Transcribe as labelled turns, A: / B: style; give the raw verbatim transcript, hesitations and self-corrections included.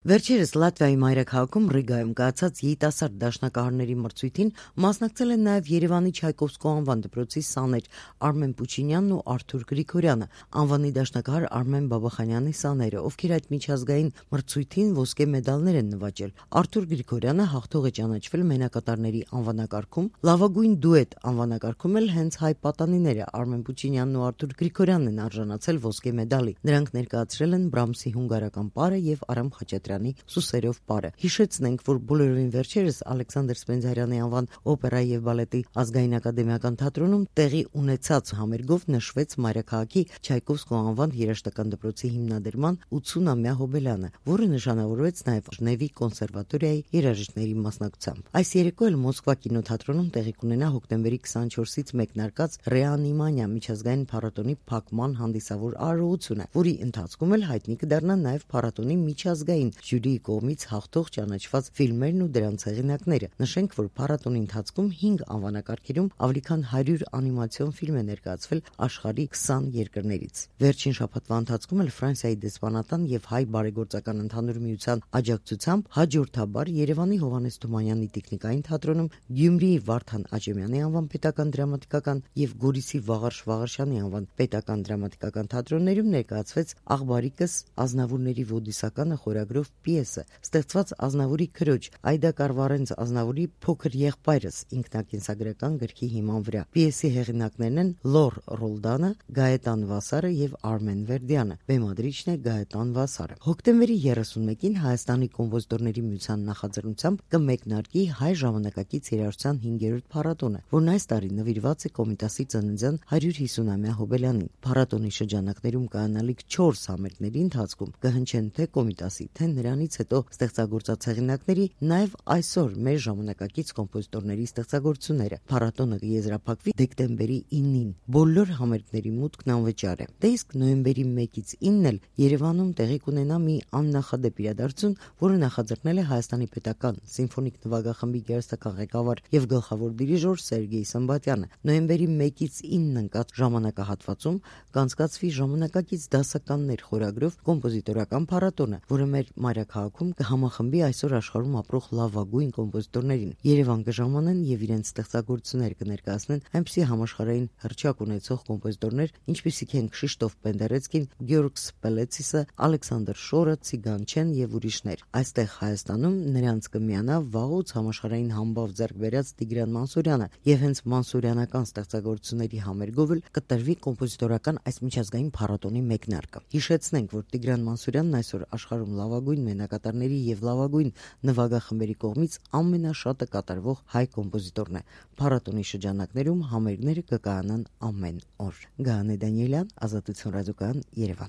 A: Վերջերս Լատվիայի մայրաքաղաքում Ռիգայում կայացած երիտասարդ դաշնակահարների մրցույթին մասնակցել են նաև Երևանի Չայկովսկու անվան դպրոցի սաներ Արմեն Պուչինյանն ու Արթուր Գրիգորյանը, անվանի դաշնակահար Արմեն Բաբախանյանի սաները, ովքեր այդ միջազգային մրցույթին ոսկե մեդալներ են նվաճել։ Արթուր Գրիգորյանը հաղթող է ճանաչվել մենակատարների անվանակարգում, լավագույն դուետ անվանակարգում էլ հենց հայ պատանիները Արմեն Պուչինյանն ու Արթուր Գրիգորյանն են արժանացել ոսկե մեդալի։ Նրանք ներկայացրել են Բրամսի հունգարական պարը եւ Արամ Խաչատրյանի Սուսերով պարը։ Հիշեցնենք, որ բոլորովին վերջերս Ալեքսանդր Սպենդիարյանի անվան օպերայի եւ բալետի ազգային ակադեմիական թատրոնում տեղի ունեցած համերգով նշվեց մայրաքաղաքի Չայկովսկու անվան երաժշտական դպրոցի հիմնադրման ութսունամյա հոբելյանը, որը նշանավորվեց նաև Ժնևի կոնսերվատորիայի երաժիշտների մասնակցությամբ։ Այս երեկո էլ Մոսկվա կինոթատրոնում տեղի կունենա հոկտեմբերի քսաներկուից մեկնարկած Ռեանիմանիա միջազգային փառատոնի փակման հանդիսավոր արարողությունը, որի ընթացքում էլ հայտնի կդառնան նաև փառատոնի միջազգային ժյուրիի կողմից հաղթող ճանաչված ֆիլմերն ու դրանց հեղինակները։ Նշենք, որ փառատոնի ընթացքում հինգ անվանակարգերում ավելի քան հարյուր անիմացիոն ֆիլմ է ներկայացվել աշխարհի քսան երկրներից։ Վերջին շաբաթվա ընթացքում էլ Ֆրանսիայի դեսպանատան եւ հայ բարեգործական ընդհանուր միության աջակցությամբ հաջորդաբար Երևանի Հովհաննես Թումանյանի տեխնիկային թատրոնում, Գյումրիի Վարդան Աճեմյանի անվան պետական դրամատիկական եւ Գորիսի Վաղարշ Վաղարշյանի անվան պետական դրամատիկական թատրոններում ներկայացվեց Աղբարիկս Ազնավուրների Ոդիսականը խորագրով պիեսը, ստեղծված Ազնավուրի քրոջ Այդա Կարվարենց Ազնավուրի փոքր եղբայրս ինքնակենսագրական գրքի հիման վրա։ Պիեսի հեղինակներն են Լոր Ռոլդանը, Գայետան Վասարը եւ Արմեն Վերդյանը։ Բեմադրիչն է Գայետան Վասարը։ Հոկտեմբերի երեսունմեկին Հայաստանի կոմպոզիտորների միության նախաձեռնությամբ կմեկնարկի հայ ժամանակակից երաժշտության հինգերորդ փառատոնը, որն այս տարի նվիրված է Կոմիտասի ծննդյան հարյուր հիսունամյա հոբելյանին։ Փառատոնի շրջանակներում կայանալիք չորս համերգների ընթացքում կհնչեն թե Կոմիտասի, թե նրանից հետո ստեղծագործած հեղինակների, նաև այսօր մեր ժամանակակից կոմպոզիտորների ստեղծագործությունները։ Փառատոնը կեզրափակվի դեկտեմբերի ինին։ Բոլոր համերգների մուտքն անվճար է։ Դե իսկ նոյեմբերի մեկից ինն էլ Երևանում տեղի կունենա մի աննախադեպ իրադարձություն, որը նախաձեռնել է Հայաստանի պետական սիմֆոնիկ նվագախմբի գերստական ղեկավար եւ գլխավոր դիրիժոր Սերգեյ Սմբատյանը։ Նոյեմբերի մեկից ինն ընկած ժամանակահատվածում կանցկացվի ժամանակակից դասականներ խորագրով կոմպոզիտորական փառատոնը, որը մեր մայրաքաղաքում կհամախմբի այսօր աշխարհում ապրող լավագույն կոմպոզիտորներին։ Երևան կժամանեն եւ իրենց ստեղծագործություններ կներկայացնեն այնպիսի համաշխարհային հռչակ ունեցող կոմպոզիտորներ, ինչպիսիք են Քշիշտոֆ Պենդերեցկին, Գյորգ Սպելեցիսը, Ալեքսանդր Շորը, Ցիգանչեն եւ ուրիշներ։ Այստեղ Հայաստանում նրանց կմիանա վաղուց համաշխարհային համբավ ձեռք բերած Տիգրան Մանսուրյանը եւ հենց մանսուրյանական ստեղծագործությունների համերգով էլ կտրվի կոմպոզիտորական այս միջազգային փառատոնի մեկնարկը։ Հիշեցնենք, որ Տիգրան Մանսուրյանն այսօր աշխարհում լավագույն մենակատարների եւ լավագույն նվագախմբերի կողմից ամենաշատը կատարվող հայ կոմպոզիտորն է։ Փառատոնի շրջանակներում համերգները կկայանան ամեն օր։ Գայանե Դանիելյան, Ազատություն ռադիոկայան, Երևան։